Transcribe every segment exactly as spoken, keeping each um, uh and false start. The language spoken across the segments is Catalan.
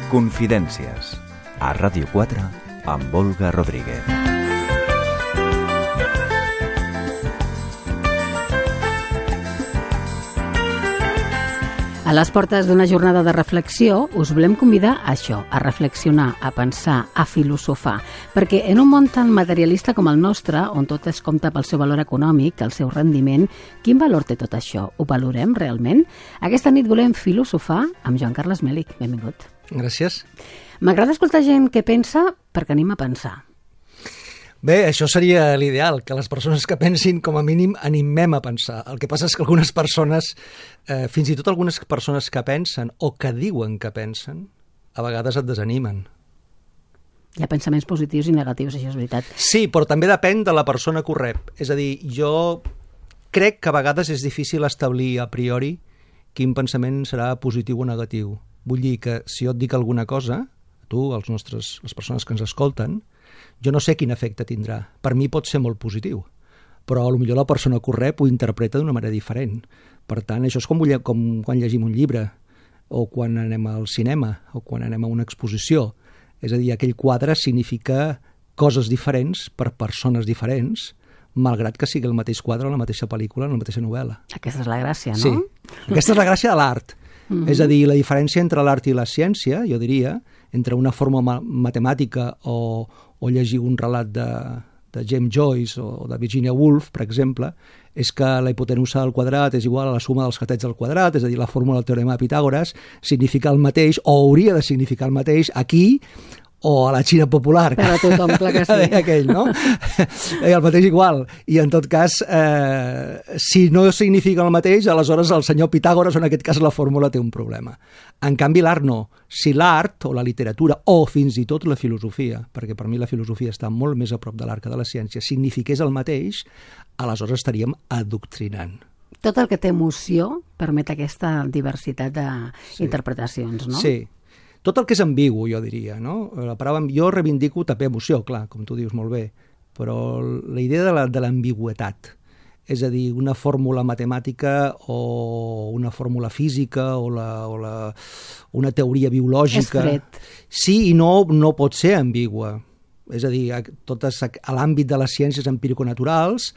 Confidències, a Ràdio quatre, amb Olga Rodríguez. A les portes d'una jornada de reflexió us volem convidar a això, a reflexionar, a pensar, a filosofar, perquè en un món tan materialista com el nostre, on tot es compta pel seu valor econòmic, el seu rendiment, quin valor té tot això? Ho valorem realment? Aquesta nit volem filosofar amb Joan Carles Mèlich. Benvingut. Gràcies. M'agrada escoltar gent que pensa perquè anem a pensar. Bé, això seria l'ideal, que les persones que pensin, com a mínim, animem a pensar. El que passa és que algunes persones, eh, fins i tot algunes persones que pensen o que diuen que pensen, a vegades et desanimen. Hi ha pensaments positius i negatius, això és veritat. Sí, però també depèn de la persona que ho rep. És a dir, jo crec que a vegades és difícil establir a priori quin pensament serà positiu o negatiu. Vull dir que si jo et dic alguna cosa, tu, els nostres, les persones que ens escolten, jo no sé quin efecte tindrà. Per mi pot ser molt positiu, però potser la persona que ho rep ho interpreta d'una manera diferent. Per tant, això és com, com quan llegim un llibre, o quan anem al cinema, o quan anem a una exposició. És a dir, aquell quadre significa coses diferents per persones diferents, malgrat que sigui el mateix quadre, la mateixa pel·lícula, la mateixa novel·la. Aquesta és la gràcia, no? Sí, aquesta és la gràcia de l'art. Mm-hmm. És a dir, la diferència entre l'art i la ciència, jo diria, entre una fórmula matemàtica o, o llegir un relat de, de James Joyce o de Virginia Woolf, per exemple, és que la hipotenusa del quadrat és igual a la suma dels catets del quadrat, és a dir, la fórmula del teorema de Pitàgores significa el mateix, o hauria de significar el mateix aquí o a la Xina popular. Per a tothom, clar que sí. Aquell, no? El mateix igual. I en tot cas, eh, si no significa el mateix, aleshores el senyor Pitàgores, o en aquest cas la fórmula, té un problema. En canvi, l'art no. Si l'art, o la literatura, o fins i tot la filosofia, perquè per mi la filosofia està molt més a prop de l'art que de la ciència, signifiqués el mateix, aleshores estaríem adoctrinant. Tot el que té emoció permet aquesta diversitat d'interpretacions, no? Sí. Tot el que és ambigu, jo diria, no? La paraula, jo reivindico també emoció, clar, com tu dius molt bé, però la idea de, la, de l'ambigüetat, és a dir, una fórmula matemàtica o una fórmula física o, la, o la, una teoria biològica... És fred. Sí, i no, no pot ser ambigua. És a dir, a, totes, a l'àmbit de les ciències empiriconaturals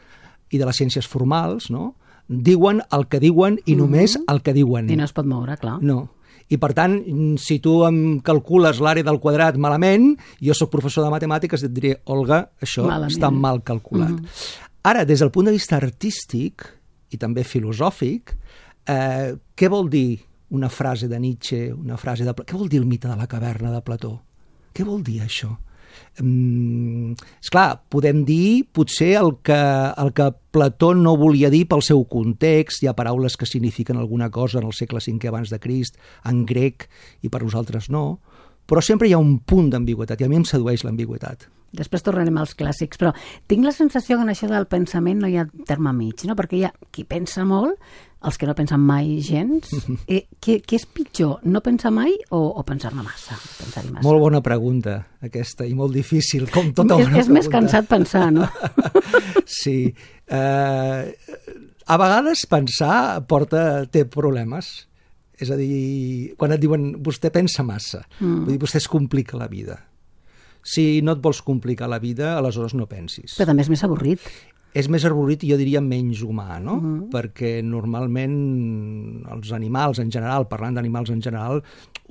i de les ciències formals, no? Diuen el que diuen i només mm-hmm. el que diuen. I no es pot moure, clar. No. I, per tant, si tu em calcules l'àrea del quadrat malament, jo sóc professor de matemàtiques i et diré, Olga, això malament. Està mal calculat. Mm-hmm. Ara, des del punt de vista artístic i també filosòfic, eh, què vol dir una frase de Nietzsche, una frase de... Què vol dir el mite de la caverna de Plató? Què vol dir això? Mm, esclar, podem dir potser el que, el que Plató no volia dir pel seu context. Hi ha paraules que signifiquen alguna cosa en el segle cinquè abans de Crist, en grec, i per nosaltres no, però sempre hi ha un punt d'ambigüitat, i a mi em sedueix l'ambigüitat. Després tornarem als clàssics, però tinc la sensació que en això del pensament no hi ha terme mig, no? Perquè hi ha qui pensa molt, els que no pensen mai gens. Eh, què, què és pitjor, no pensar mai o, o pensar-ne massa, pensar-hi massa? Molt bona pregunta, aquesta, i molt difícil, com tota bona pregunta. És més cansat pensar, no? Sí. Eh, a vegades pensar porta, té problemes. És a dir, quan et diuen vostè pensa massa, mm. vull dir, vostè es complica la vida. Si no et vols complicar la vida, aleshores no pensis. Però també és més avorrit. És més avorrit i jo diria menys humà, no? Mm. Perquè normalment els animals en general, parlant d'animals en general,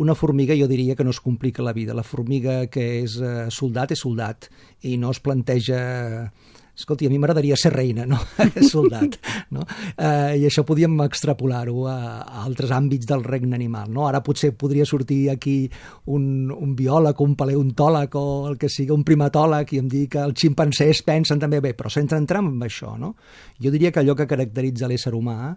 una formiga jo diria que no es complica la vida. La formiga que és eh, soldat és soldat i no es planteja... Escolti, a mi m'agradaria ser reina, no? Soldat, no? Eh, I això podíem extrapolar-ho a, a altres àmbits del regne animal, no? Ara potser podria sortir aquí un, un biòleg, un paleontòleg o el que sigui, un primatòleg, i em dir que els ximpancers pensen també bé, però sense entrar en això, no? Jo diria que allò que caracteritza l'ésser humà,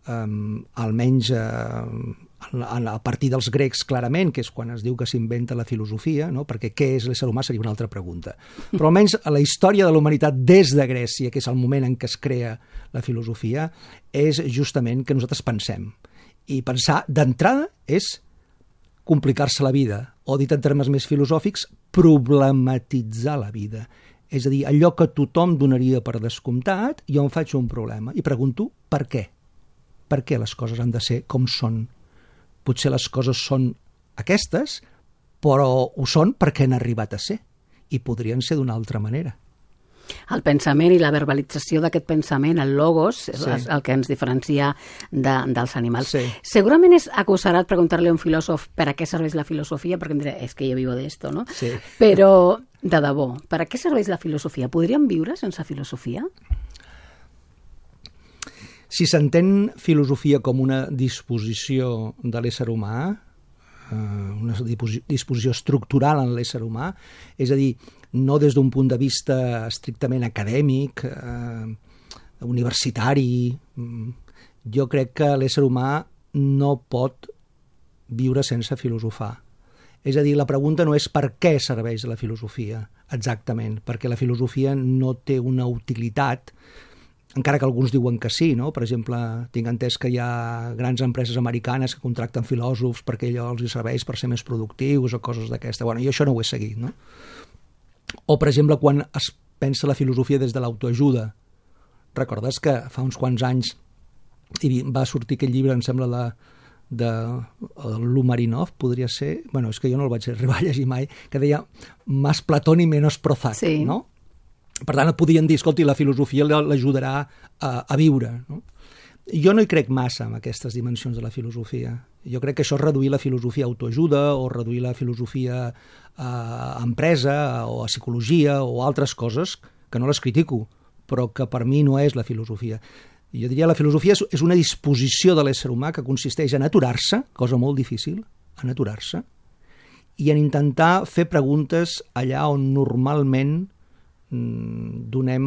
um, almenys uh, a partir dels grecs clarament, que és quan es diu que s'inventa la filosofia, no? Perquè què és l'ésser humà seria una altra pregunta. Però almenys a la història de la humanitat des de Grècia, que és el moment en què es crea la filosofia, és justament que nosaltres pensem. I pensar d'entrada és complicar-se la vida, o dit en termes més filosòfics, problematitzar la vida. És a dir, allò que tothom donaria per descomptat, jo em faig un problema i pregunto per què. Per què les coses han de ser com són? Potser les coses són aquestes però ho són perquè han arribat a ser, i podrien ser d'una altra manera. El pensament i la verbalització d'aquest pensament, el logos, és sí. el que ens diferencia de, dels animals. Sí. Segurament és acusarat preguntar-li a un filòsof per a què serveix la filosofia, perquè em diré, és que jo vivo de esto, no? Sí. Però, de debò, per a què serveix la filosofia? Podríem viure sense filosofia? Si s'entén filosofia com una disposició de l'ésser humà, una disposició estructural en l'ésser humà, és a dir, no des d'un punt de vista estrictament acadèmic, eh, universitari. Jo crec que l'ésser humà no pot viure sense filosofar. És a dir, la pregunta no és per què serveix la filosofia, exactament, perquè la filosofia no té una utilitat, encara que alguns diuen que sí, no? Per exemple, tinc entès que hi ha grans empreses americanes que contracten filòsofs perquè allò els serveix per ser més productius o coses d'aquesta. Bueno, jo això no ho he seguit, no? O, per exemple, quan es pensa la filosofia des de l'autoajuda. Recordes que fa uns quants anys va sortir aquell llibre, em sembla, de, de Lumarinov, podria ser? Bueno, és que jo no el vaig arribar a llegir mai, que deia «Más Platón y menos Prozac», sí. No? Per tant, et podien dir, escolti, la filosofia l'ajudarà a, a viure. No? Jo no hi crec massa en aquestes dimensions de la filosofia. Jo crec que això és reduir la filosofia a autoajuda o reduir la filosofia a empresa o a psicologia o altres coses que no les critico, però que per mi no és la filosofia. Jo diria que la filosofia és una disposició de l'ésser humà que consisteix en aturar-se, cosa molt difícil, en aturar-se, i en intentar fer preguntes allà on normalment donem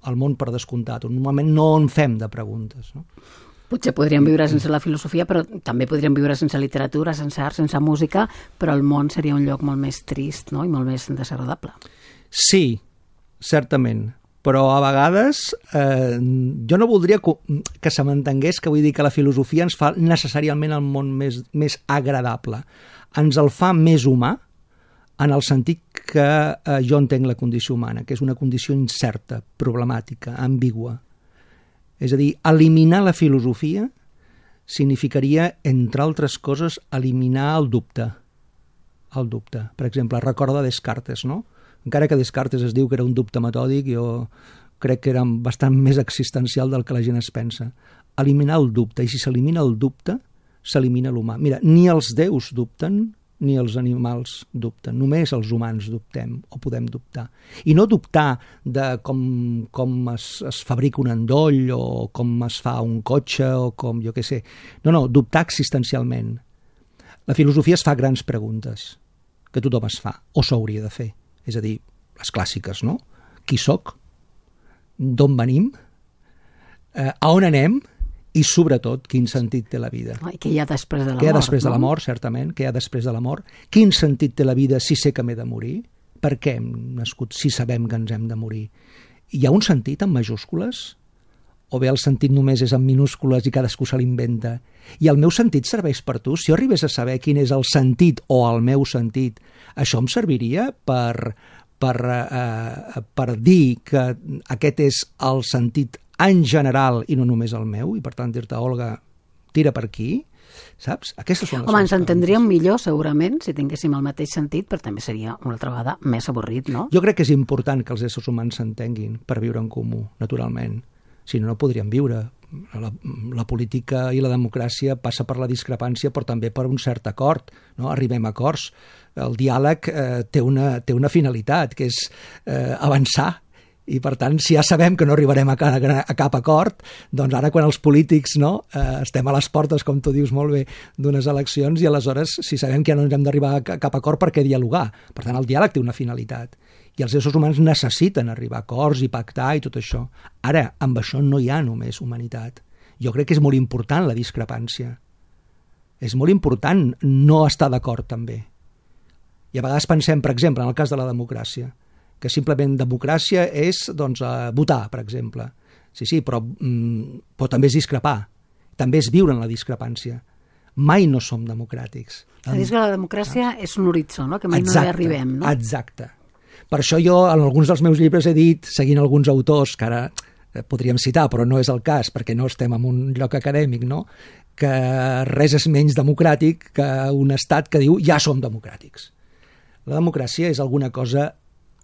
el món per descomptat, on normalment no en fem de preguntes. No? Potser podríem viure sense la filosofia, però també podríem viure sense literatura, sense art, sense música, però el món seria un lloc molt més trist, no? I molt més desagradable. Sí, certament, però a vegades eh, jo no voldria que, que se m'entengués que vull dir que la filosofia ens fa necessàriament el món més, més agradable. Ens el fa més humà, en el sentit que eh, jo entenc la condició humana, que és una condició incerta, problemàtica, ambigua. És a dir, eliminar la filosofia significaria, entre altres coses, eliminar el dubte. El dubte. Per exemple, recorda Descartes, no? Encara que Descartes es diu que era un dubte metòdic, jo crec que era bastant més existencial del que la gent es pensa. Eliminar el dubte, i si s'elimina el dubte, s'elimina l'humà. Mira, ni els déus dubten, ni els animals dubten, només els humans dubtem o podem dubtar. I no dubtar de com, com es, es fabrica un endoll o com es fa un cotxe o com, jo què sé. No, no, dubtar existencialment. La filosofia es fa grans preguntes que tothom es fa, o s'hauria de fer. És a dir, les clàssiques, no? Qui sóc? D'on venim? Eh, a on anem? I, sobretot, quin sentit té la vida. I què hi ha després de la mort, Què hi ha després no? de la mort, certament, què hi ha després de la mort. Quin sentit té la vida si sé que m'he de morir? Per què hem nascut si sabem que ens hem de morir? Hi ha un sentit en majúscules? O bé el sentit només és en minúscules i cadascú se l'inventa? I el meu sentit serveix per tu? Si jo arribés a saber quin és el sentit o el meu sentit, això em serviria per, per, eh, per dir que aquest és el sentit en general i no només el meu, i per tant dir-te, Olga, tira per aquí, saps? Aquestes són les Home, ens entendríem millor segurament si tinguéssim el mateix sentit, però també seria una altra vegada més avorrit, no? Jo crec que és important que els éssers humans s'entenguin per viure en comú, naturalment. Si no, no podríem viure. La, la política i la democràcia passa per la discrepància, però també per un cert acord, no? Arribem a acords. El diàleg eh, té, una, té una finalitat, que és eh, avançar. I, per tant, si ja sabem que no arribarem a, a cap acord, doncs ara quan els polítics no, eh, estem a les portes, com tu dius molt bé, d'unes eleccions, i aleshores, si sabem que ja no ens hem d'arribar a cap acord, per què dialogar? Per tant, el diàleg té una finalitat. I els éssers humans necessiten arribar a acords i pactar i tot això. Ara, amb això no hi ha només humanitat. Jo crec que és molt important la discrepància. És molt important no estar d'acord, també. I a vegades pensem, per exemple, en el cas de la democràcia, que simplement democràcia és doncs, votar, per exemple. Sí, sí, però, mm, però també és discrepar. També és viure en la discrepància. Mai no som democràtics. És dir, que la democràcia ah. és un horitzó, no? Que mai exacte, no hi arribem. No? Exacte. Per això jo, en alguns dels meus llibres, he dit, seguint alguns autors, que ara podríem citar, però no és el cas, perquè no estem en un lloc acadèmic, no? Que res és menys democràtic que un estat que diu ja som democràtics. La democràcia és alguna cosa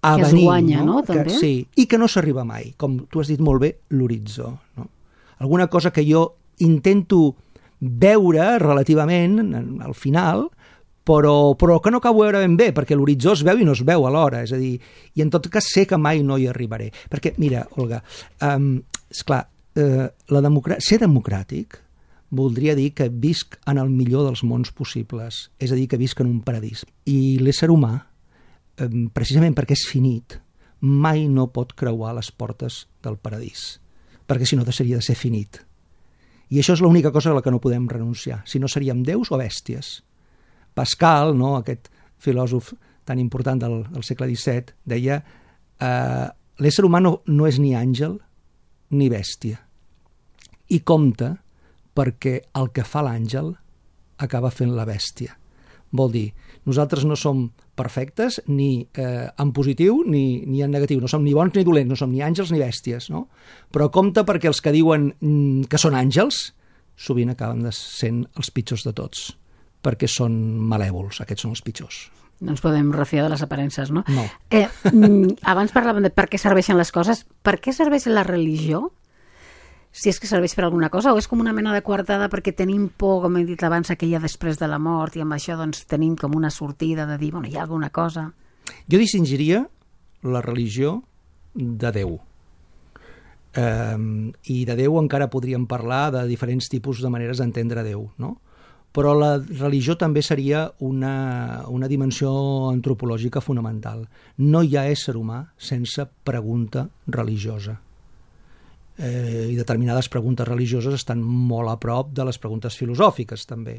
a que venir. Es guanya, no? no? També? Que, sí, i que no s'arriba mai, com tu has dit molt bé, l'horitzó. No? Alguna cosa que jo intento veure relativament al final, però, però que no acabo de veure ben bé, perquè l'horitzó es veu i no es veu alhora, és a dir, i en tot cas sé que mai no hi arribaré. Perquè, mira, Olga, um, esclar, uh, la democrà- ser democràtic voldria dir que visc en el millor dels mons possibles, és a dir, que visc en un paradís. I l'ésser humà, um, precisament perquè és finit, mai no pot creuar les portes del paradís, perquè si no deixaria de ser finit. I això és l'única cosa a la que no podem renunciar, si no seríem déus o bèsties. Pascal, no, aquest filòsof tan important del, del segle disset, deia eh, l'ésser humà no, no és ni àngel ni bèstia. I compte perquè el que fa l'àngel acaba fent la bèstia. Vol dir, nosaltres no som perfectes ni eh, en positiu ni, ni en negatiu, no som ni bons ni dolents, no som ni àngels ni bèsties, no? Però compte perquè els que diuen mm, que són àngels sovint acaben sent els pitjors de tots, perquè són malèvols, aquests són els pitjors. No ens podem refiar de les aparences, no? No. Eh, abans parlàvem de per què serveixen les coses. Per què serveix la religió? Si és que serveix per alguna cosa, o és com una mena de coartada perquè tenim por, com he dit abans, que hi ha després de la mort, i amb això doncs, tenim com una sortida de dir, bueno, hi ha alguna cosa. Jo distingiria la religió de Déu. Um, I de Déu encara podríem parlar de diferents tipus de maneres d'entendre Déu, no? Però la religió també seria una, una dimensió antropològica fonamental. No hi ha ésser humà sense pregunta religiosa. Eh, I determinades preguntes religioses estan molt a prop de les preguntes filosòfiques, també.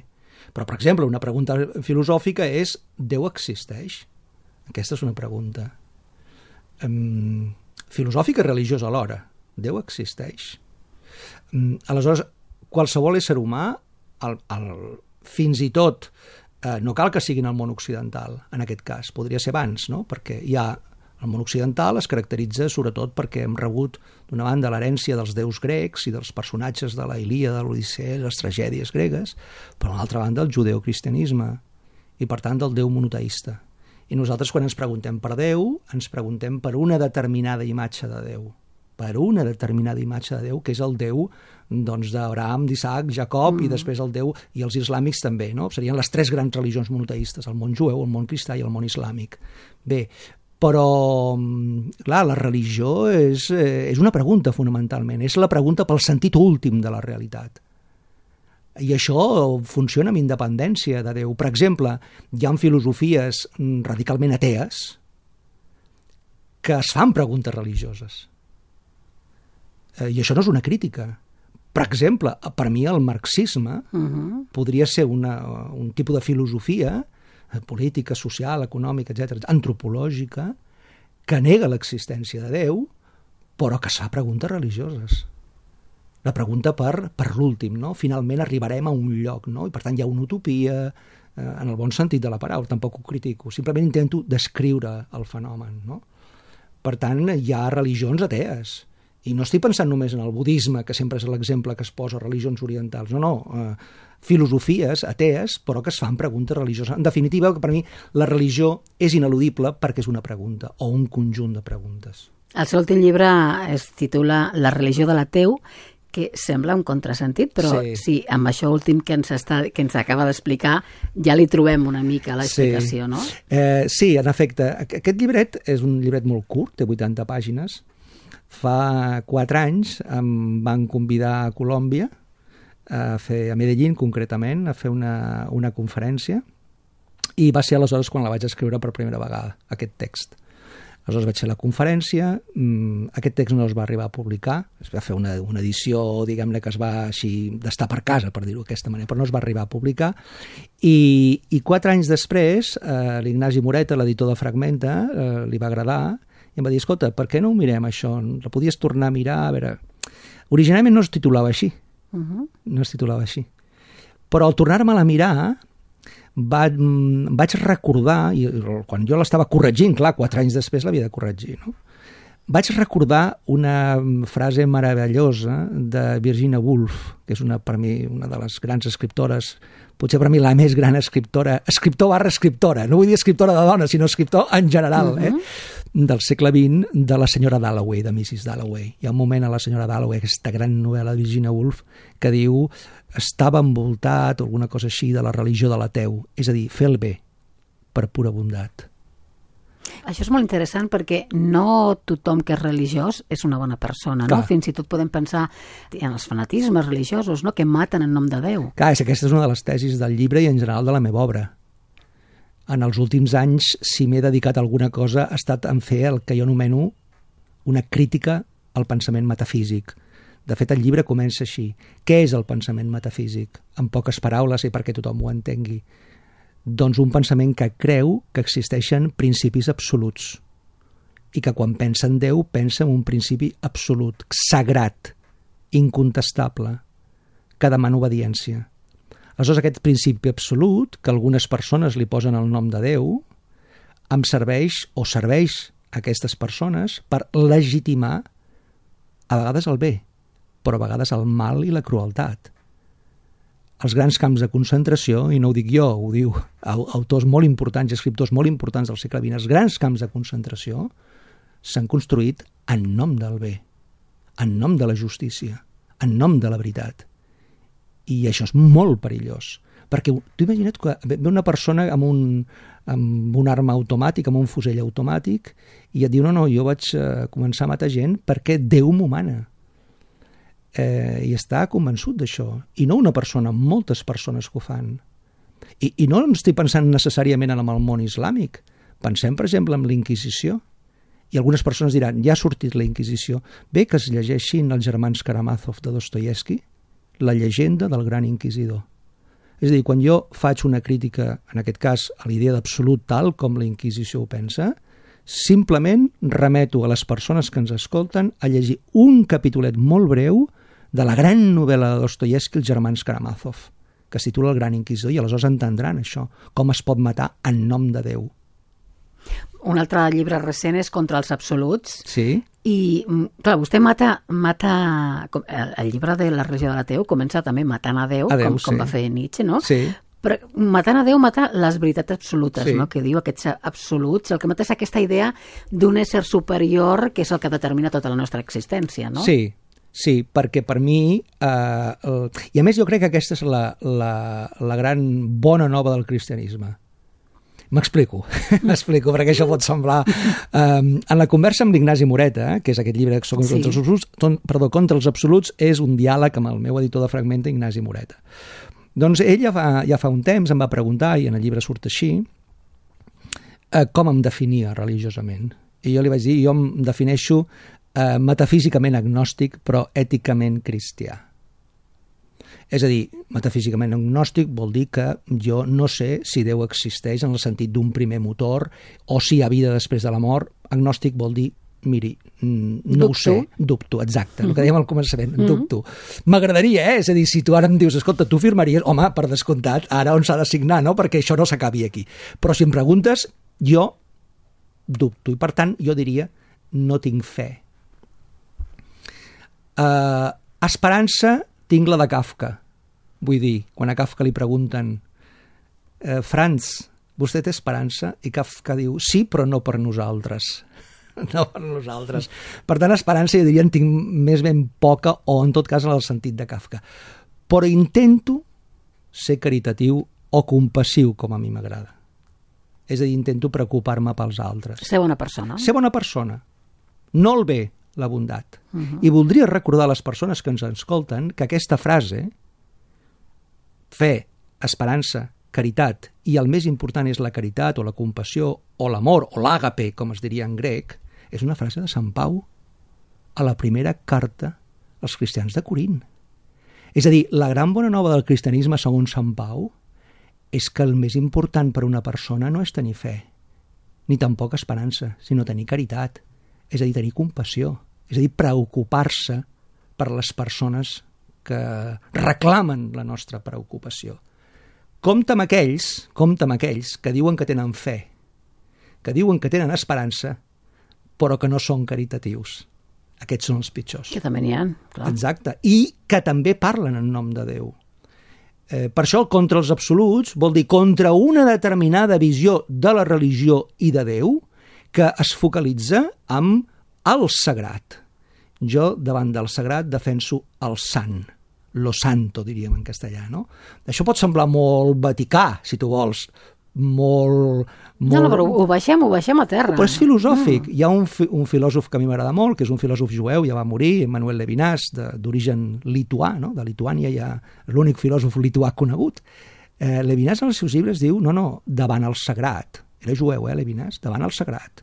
Però, per exemple, una pregunta filosòfica és: Déu existeix? Aquesta és una pregunta. Um, filosòfica i religiosa alhora. Déu existeix? Um, aleshores, qualsevol ésser humà, el, el, fins i tot, eh, no cal que sigui en el món occidental, en aquest cas, podria ser abans, no? Perquè hi ha el món occidental es caracteritza sobretot perquè hem rebut, d'una banda, l'herència dels déus grecs i dels personatges de la Ilíada, de l'Odissea, les tragèdies gregues, però, d'una altra banda, el judeocristianisme i, per tant, el Déu monoteista. I nosaltres, quan ens preguntem per Déu, ens preguntem per una determinada imatge de Déu, per una determinada imatge de Déu, que és el Déu doncs, d'Abraham, d'Isaac, Jacob, mm. i després el Déu, i els islàmics també, no? Serien les tres grans religions monoteistes, el món jueu, el món cristià i el món islàmic. Bé, però, clar, la religió és, és una pregunta fonamentalment, és la pregunta pel sentit últim de la realitat. I això funciona amb independència de Déu. Per exemple, hi ha filosofies radicalment atees que es fan preguntes religioses. I això no és una crítica. Per exemple, per mi el marxisme uh-huh. podria ser una, un tipus de filosofia política, social, econòmica, etcètera, antropològica, que nega l'existència de Déu, però que es fa preguntes religioses. La pregunta per, per l'últim, no? Finalment arribarem a un lloc, no? I per tant hi ha una utopia, eh, en el bon sentit de la paraula, tampoc ho critico, simplement intento descriure el fenomen, no? Per tant, hi ha religions atees, i no estic pensant només en el budisme, que sempre és l'exemple que es posa a religions orientals, no, no, eh, filosofies atees, però que es fan preguntes religioses. En definitiva, per mi, la religió és ineludible perquè és una pregunta, o un conjunt de preguntes. El seu últim llibre es titula La religió de l'ateu, que sembla un contrasentit, però sí, sí amb això últim que ens, està, que ens acaba d'explicar ja li trobem una mica l'explicació, sí. no? Eh, sí, en efecte. Aquest llibret és un llibret molt curt, té vuitanta pàgines. Fa quatre anys em van convidar a Colòmbia, a fer a Medellín concretament, a fer una, una conferència, i va ser aleshores quan la vaig escriure per primera vegada, aquest text. Aleshores vaig fer la conferència, aquest text no es va arribar a publicar, es va fer una, una edició, diguem-ne, que es va així d'estar per casa, per dir-ho d'aquesta manera, però no es va arribar a publicar, i, i quatre anys després eh, l'Ignasi Moreta, l'editor de Fragmenta, eh, li va agradar, i em va dir, escolta, per què no ho mirem això? La podies tornar a mirar? A veure... Originalment no es titulava així, uh-huh. no es titulava així, però al tornar-me-la a mirar va, vaig recordar, i quan jo l'estava corregint, clar, quatre anys després l'havia de corregir, no? vaig recordar una frase meravellosa de Virginia Woolf, que és una, per mi una de les grans escriptores, potser per mi la més gran escriptora, escriptor barra escriptora, no vull dir escriptora de dona, sinó escriptor en general, uh-huh. eh? del segle vint, de la senyora Dalloway, de missus Dalloway. Hi ha un moment a la senyora Dalloway, aquesta gran novel·la de Virginia Woolf, que diu estava envoltat, o alguna cosa així, de la religió de l'ateu, és a dir, fer el bé per pura bondat. Això és molt interessant perquè no tothom que és religiós és una bona persona, no? Fins i tot podem pensar en els fanatismes religiosos, no? Que maten en nom de Déu. Clar, és aquesta és una de les tesis del llibre i en general de la meva obra. En els últims anys, si m'he dedicat a alguna cosa, ha estat en fer el que jo anomeno una crítica al pensament metafísic. De fet, el llibre comença així. Què és el pensament metafísic? En poques paraules i perquè tothom ho entengui. Doncs un pensament que creu que existeixen principis absoluts i que quan pensa en Déu pensa en un principi absolut, sagrat, incontestable, que demana obediència. Aleshores, aquest principi absolut, que algunes persones li posen el nom de Déu, em serveix o serveix a aquestes persones per legitimar a vegades el bé, però a vegades el mal i la crueltat. Els grans camps de concentració, i no ho dic jo, ho diu autors molt importants i escriptors molt importants del segle vint, els grans camps de concentració s'han construït en nom del bé, en nom de la justícia, en nom de la veritat. I això és molt perillós, perquè tu imagina't que ve una persona amb un, amb una arma automàtica, amb un fusell automàtic, i et diu, no, no, jo vaig començar a matar gent perquè Déu m'ho mana. Eh, i està convençut d'això, i no una persona, moltes persones que ho fan. I, i no estic pensant necessàriament en el món islàmic, pensem per exemple en la Inquisició, i algunes persones diran, ja ha sortit la Inquisició, bé que es llegeixin els germans Karamazov de Dostoievski, la llegenda del gran inquisidor. És a dir, quan jo faig una crítica, en aquest cas a l'idea d'absolut tal com la Inquisició ho pensa, simplement remeto a les persones que ens escolten a llegir un capitolet molt breu de la gran novel·la de Dostoievski, els germans Karamazov, que es titula El gran inquisidor, i aleshores entendran això, com es pot matar en nom de Déu. Un altre llibre recent és Contra els absoluts. Sí. I, clar, vostè mata, mata el, el llibre de la religió de l'ateu comença també matant a Déu, a Déu com, com sí. va fer Nietzsche, no? Sí. Però matant a Déu mata les veritats absolutes, sí. no? Que diu aquests absoluts, el que mata és aquesta idea d'un ésser superior que és el que determina tota la nostra existència, no? Sí, sí, perquè per mi, eh, el, i a més jo crec que aquesta és la, la, la gran bona nova del cristianisme. M'explico, m'explico, perquè això pot semblar... Um, en la conversa amb l'Ignasi Moreta, que és aquest llibre contra, sí. els absoluts, ton, perdó, contra els absoluts, és un diàleg amb el meu editor de Fragmenta, Ignasi Moreta. Doncs ell ja fa, ja fa un temps em va preguntar, i en el llibre surt així, eh, com em definia religiosament. I jo li vaig dir, jo em defineixo eh, metafísicament agnòstic, però èticament cristià. És a dir, metafísicament agnòstic vol dir que jo no sé si Déu existeix en el sentit d'un primer motor o si hi ha vida després de la mort. Agnòstic vol dir, miri, no dubto. Ho sé, dubto, exacte, el que dèiem al començament, mm-hmm. dubto. M'agradaria, eh? És a dir, si tu ara em dius, escolta, tu firmaries, home, per descomptat, ara on s'ha de signar, no? Perquè això no s'acabi aquí. Però si em preguntes, jo dubto, i per tant jo diria, no tinc fe. Uh, esperança tinc la de Kafka. Vull dir, quan a Kafka li pregunten eh, Franz, vostè té esperança? I Kafka diu, sí, però no per nosaltres. No per nosaltres. Per tant, esperança, jo diria, en tinc més ben poca, o en tot cas en el sentit de Kafka. Però intento ser caritatiu o compassiu, com a mi m'agrada. És a dir, intento preocupar-me pels altres. Ser bona persona. Ser bona persona. No el bé, la bondat. Uh-huh. I voldria recordar a les persones que ens escolten que aquesta frase, fe, esperança, caritat, i el més important és la caritat o la compassió o l'amor o l'àgape, com es diria en grec, és una frase de Sant Pau a la primera carta als cristians de Corint. És a dir, la gran bona nova del cristianisme, segons Sant Pau, és que el més important per una persona no és tenir fe, ni tampoc esperança, sinó tenir caritat. És a dir, tenir compassió, és a dir, preocupar-se per les persones que reclamen la nostra preocupació. Compte amb aquells, compte amb aquells que diuen que tenen fe, que diuen que tenen esperança, però que no són caritatius. Aquests són els pitjors. Que també n'hi ha, clar. Exacte. I que també parlen en nom de Déu. Eh, per això el contra els absoluts vol dir contra una determinada visió de la religió i de Déu que es focalitza amb el sagrat. Jo, davant del sagrat, defenso el sant. Lo santo, diríem en castellà, no? Això pot semblar molt vaticà, si tu vols, molt... molt... No, no, però ho baixem, ho baixem a terra. Però és filosòfic. Mm. Hi ha un, fi, un filòsof que a mi m'agrada molt, que és un filòsof jueu, ja va morir, Manuel Levinas, d'origen lituà, no? De Lituània, ja l'únic filòsof lituà conegut. Eh, Levinas en els seus llibres diu, no, no, davant el sagrat. Era jueu, eh, Levinas? Davant el sagrat.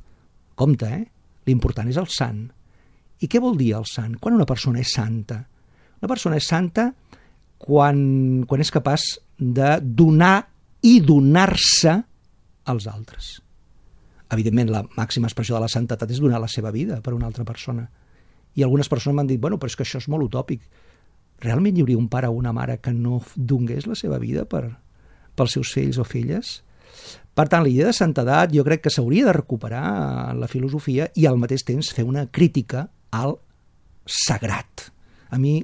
Compte, eh? L'important és el sant. I què vol dir el sant? Quan una persona és santa? Una persona és santa quan, quan és capaç de donar i donar-se als altres. Evidentment, la màxima expressió de la santetat és donar la seva vida per una altra persona. I algunes persones m'han dit, bueno, però és que això és molt utòpic. Realment hi hauria un pare o una mare que no donés la seva vida per, pels seus fills o filles? Per tant, la idea de santedat jo crec que s'hauria de recuperar en la filosofia i al mateix temps fer una crítica al sagrat. A mi...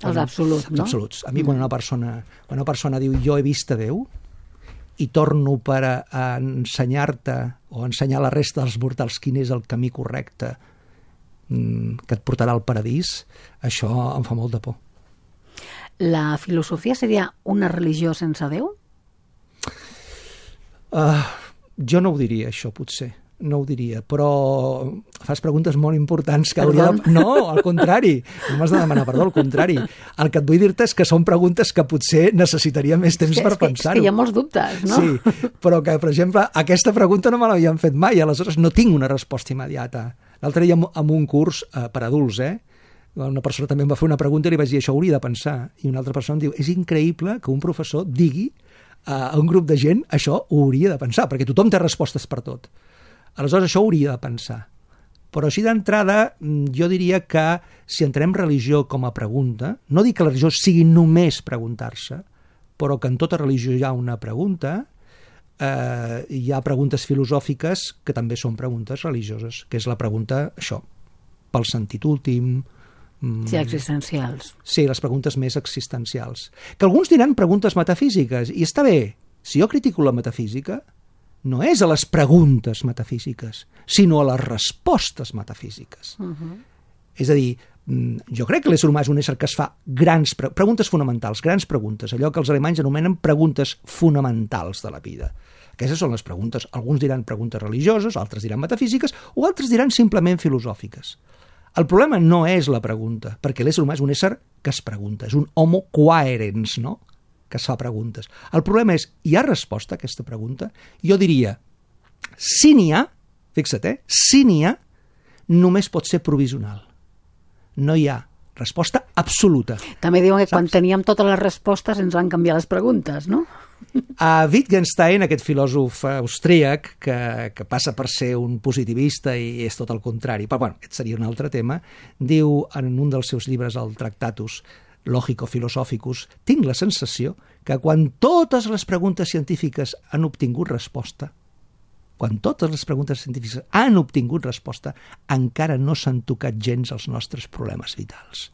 Els absoluts, no? Els absoluts. A mi quan una persona, quan una persona diu jo he vist a Déu i torno per a, a ensenyar-te o a ensenyar a la resta dels mortals quin és el camí correcte mm, que et portarà al paradís, això em fa molt de por. La filosofia seria una religió sense Déu? Uh, jo no ho diria, això, potser. No ho diria, però fas preguntes molt importants que hauria de... No, al contrari, no m'has de demanar perdó, al contrari. El que et vull dir-te és que són preguntes que potser necessitaria més temps és que, per pensar-ho. És que hi ha molts dubtes, no? Sí, però que, per exemple, aquesta pregunta no me l'havien fet mai, aleshores no tinc una resposta immediata. L'altre dia en un curs eh, per adults, eh, una persona també em va fer una pregunta i li vaig dir això hauria de pensar, i una altra persona em diu és increïble que un professor digui a un grup de gent això ho hauria de pensar, perquè tothom té respostes per tot. Aleshores, això ho hauria de pensar. Però així d'entrada, jo diria que si entrem religió com a pregunta, no dic que la religió sigui només preguntar-se, però que en tota religió hi ha una pregunta, eh, hi ha preguntes filosòfiques que també són preguntes religioses, que és la pregunta, això, pel sentit últim... Sí, existencials. Sí, les preguntes més existencials. Que alguns diran preguntes metafísiques, i està bé. Si jo critico la metafísica, no és a les preguntes metafísiques, sinó a les respostes metafísiques. Uh-huh. És a dir, jo crec que l'ésser humà és un ésser que es fa grans pre preguntes fonamentals, grans preguntes, allò que els alemanys anomenen preguntes fonamentals de la vida. Aquestes són les preguntes. Alguns diran preguntes religioses, altres diran metafísiques, o altres diran simplement filosòfiques. El problema no és la pregunta, perquè l'ésser humà és un ésser que es pregunta, és un homo quaerens, no?, que es fa preguntes. El problema és, hi ha resposta a aquesta pregunta? Jo diria, si n'hi ha, fixa't, eh, si n'hi ha, només pot ser provisional. No hi ha resposta absoluta. També diuen que quan teníem totes les respostes ens van canviar les preguntes, no? A Wittgenstein, aquest filòsof austríac que, que passa per ser un positivista i és tot el contrari, però bueno, aquest seria un altre tema, diu en un dels seus llibres, el Tractatus Logico-Philosophicus, tinc la sensació que quan totes les preguntes científiques han obtingut resposta, quan totes les preguntes científiques han obtingut resposta, encara no s'han tocat gens els nostres problemes vitals.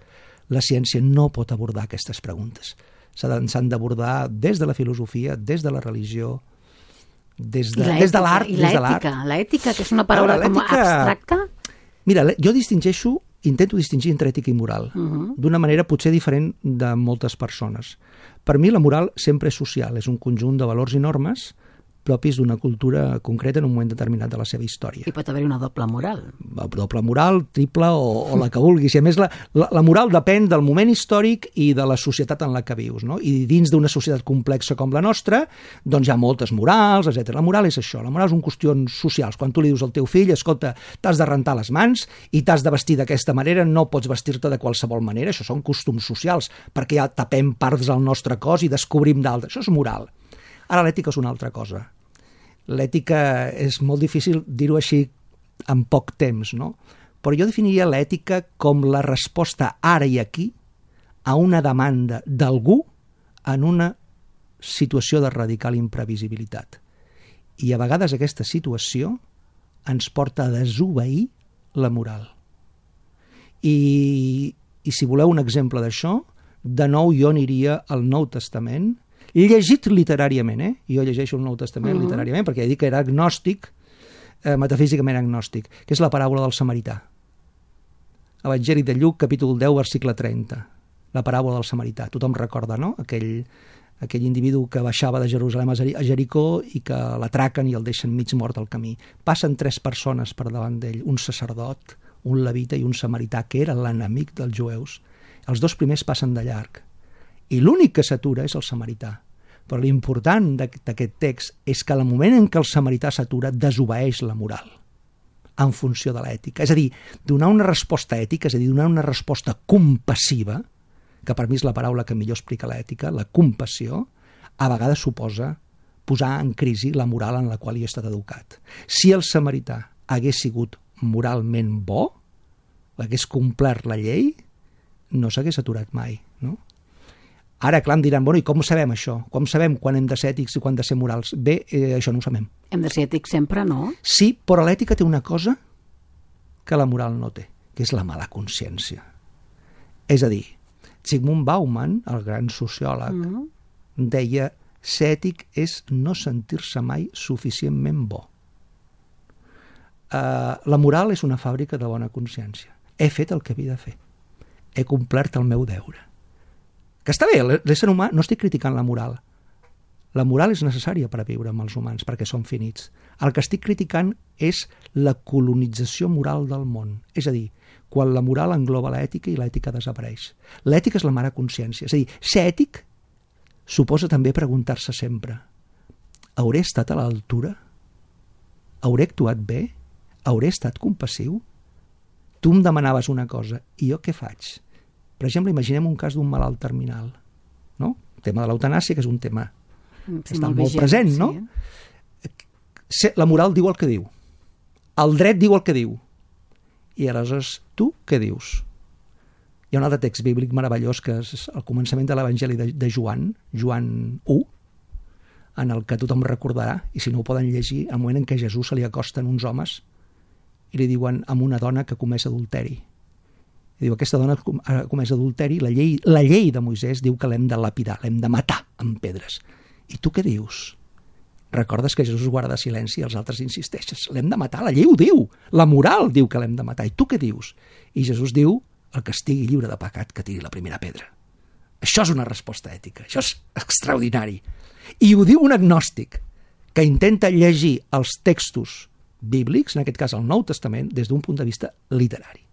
La ciència no pot abordar aquestes preguntes. S'han d'abordar des de la filosofia, des de la religió, des de, des de l'art. I l'ètica, l'ètica, que és una paraula com abstracta? Mira, jo distingeixo, intento distingir entre ètica i moral, uh-huh. d'una manera potser diferent de moltes persones. Per mi la moral sempre és social, és un conjunt de valors i normes propis d'una cultura concreta en un moment determinat de la seva història. I pot haver una doble moral. Doble moral, triple o, o la que vulguis. I a més, la, la, la moral depèn del moment històric i de la societat en la que vius, no? I dins d'una societat complexa com la nostra, doncs hi ha moltes morals, etcètera. La moral és això, la moral és un qüestions socials. Quan tu li dius al teu fill, escolta, t'has de rentar les mans i t'has de vestir d'aquesta manera, no pots vestir-te de qualsevol manera, això són costums socials, perquè ja tapem parts del nostre cos i descobrim d'altres. Això és moral. Ara l'ètica és una altra cosa. L'ètica és molt difícil dir-ho així en poc temps, no? Però jo definiria l'ètica com la resposta ara i aquí a una demanda d'algú en una situació de radical imprevisibilitat. I a vegades aquesta situació ens porta a desobeir la moral. I, i si voleu un exemple d'això, de nou jo aniria al Nou Testament, llegit literàriament, eh? Jo llegeixo el Nou Testament uh-huh. literàriament, perquè he dit que era agnòstic, eh, metafísicament agnòstic, que és la paràbola del samarità. Evangeli de Lluc, capítol deu, versicle trenta. La paràbola del samarità. Tothom recorda, no? Aquell, aquell individu que baixava de Jerusalem a Jericó i que l'atraquen i el deixen mig mort al camí. Passen tres persones per davant d'ell, un sacerdot, un levita i un samarità, que era l'enemic dels jueus. Els dos primers passen de llarg. I l'únic que s'atura és el samarità. Però l'important d'aquest text és que al moment en què el samarità s'atura, desobeeix la moral en funció de l'ètica. És a dir, donar una resposta ètica, és a dir, donar una resposta compassiva, que per mi és la paraula que millor explica l'ètica, la compassió, a vegades suposa posar en crisi la moral en la qual jo he estat educat. Si el samarità hagués sigut moralment bo, hagués complert la llei, no s'hagués aturat mai, no? Ara, clar, em diran, bueno, i com sabem això? Com sabem quan hem de ser ètics i quan hem de ser morals? Bé, eh, això no ho sabem. Hem de ser ètics sempre, no? Sí, però l'ètica té una cosa que la moral no té, que és la mala consciència. És a dir, Zygmunt Bauman, el gran sociòleg, mm. deia ser ètic és no sentir-se mai suficientment bo. Uh, la moral és una fàbrica de bona consciència. He fet el que havia de fer. He complert el meu deure. Que està bé, l'ésser humà, no estic criticant la moral. La moral és necessària per a viure amb els humans, perquè són finits. El que estic criticant és la colonització moral del món. És a dir, quan la moral engloba l'ètica i l'ètica desapareix. L'ètica és la mare consciència. És a dir, ser ètic suposa també preguntar-se sempre: hauré estat a l'altura? Hauré actuat bé? Hauré estat compassiu? Tu em demanaves una cosa, i jo què faig? Per exemple, imaginem un cas d'un malalt terminal, no? El tema de l'eutanàsia, que és un tema sí, que està molt, molt vigent, present, no? Sí. La moral diu el que diu. El dret diu el que diu. I aleshores, tu què dius? Hi ha un altre text bíblic meravellós que és el començament de l'Evangeli de, de Joan, Joan u, en el que tothom recordarà, i si no ho poden llegir, al moment en què a Jesús se li acosten uns homes i li diuen amb una dona que comès adulteri. I diu, aquesta dona ha comès adulteri, la llei, la llei de Moisès diu que l'hem de lapidar, l'hem de matar amb pedres. I tu què dius? Recordes que Jesús guarda silenci i els altres insisteixes. L'hem de matar, la llei ho diu, la moral diu que l'hem de matar. I tu què dius? I Jesús diu, el que estigui lliure de pecat que tiri la primera pedra. Això és una resposta ètica, això és extraordinari. I ho diu un agnòstic que intenta llegir els textos bíblics, en aquest cas el Nou Testament, des d'un punt de vista literari.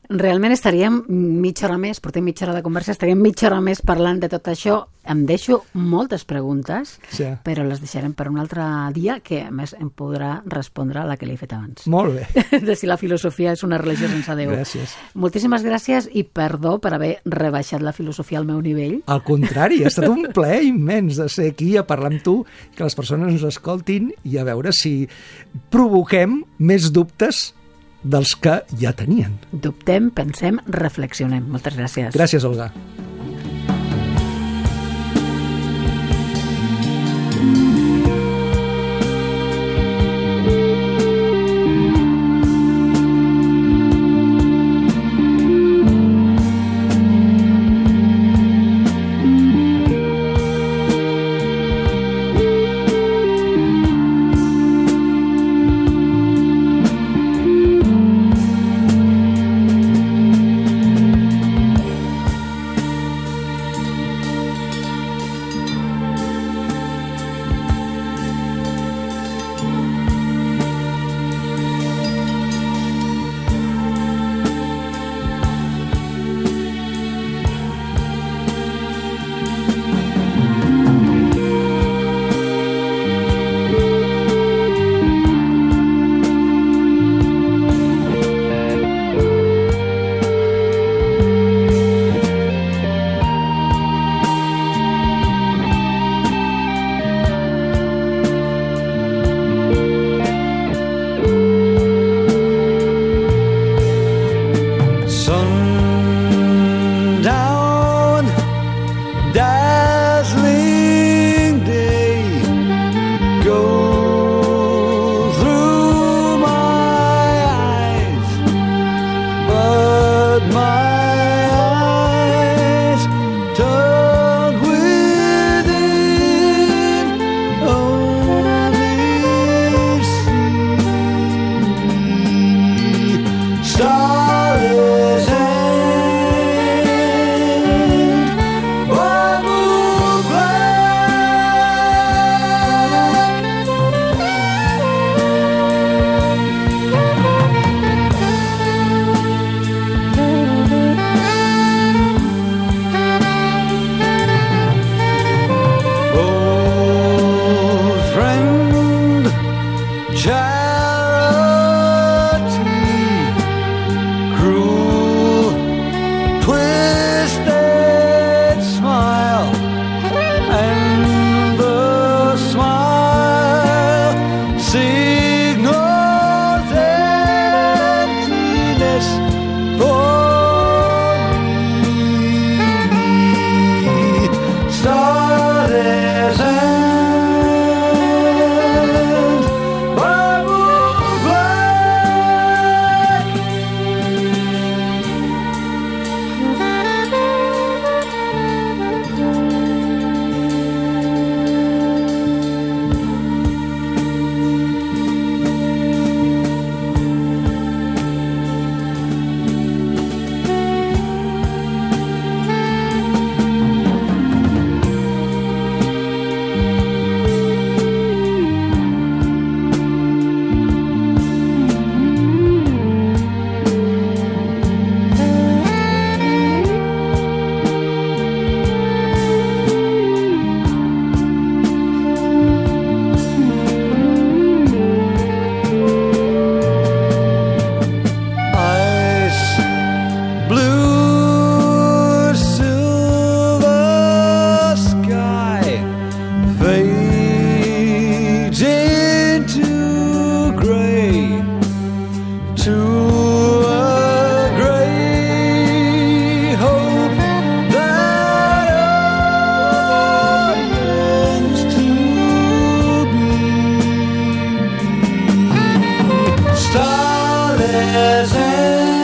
Realment estaríem mitja hora més, portem mitja hora de conversa, estaríem mitja hora més parlant de tot això. Em deixo moltes preguntes, sí. però les deixarem per un altre dia, que a més em podrà respondre a la que li he fet abans. Molt bé. De si la filosofia és una religió sense Déu. Gràcies. Moltíssimes gràcies i perdó per haver rebaixat la filosofia al meu nivell. Al contrari, ha estat un plaer immens de ser aquí a parlar amb tu, que les persones ens escoltin i a veure si provoquem més dubtes dels que ja tenien. Dubtem, pensem, reflexionem. Moltes gràcies. Gràcies, Olga. starless end.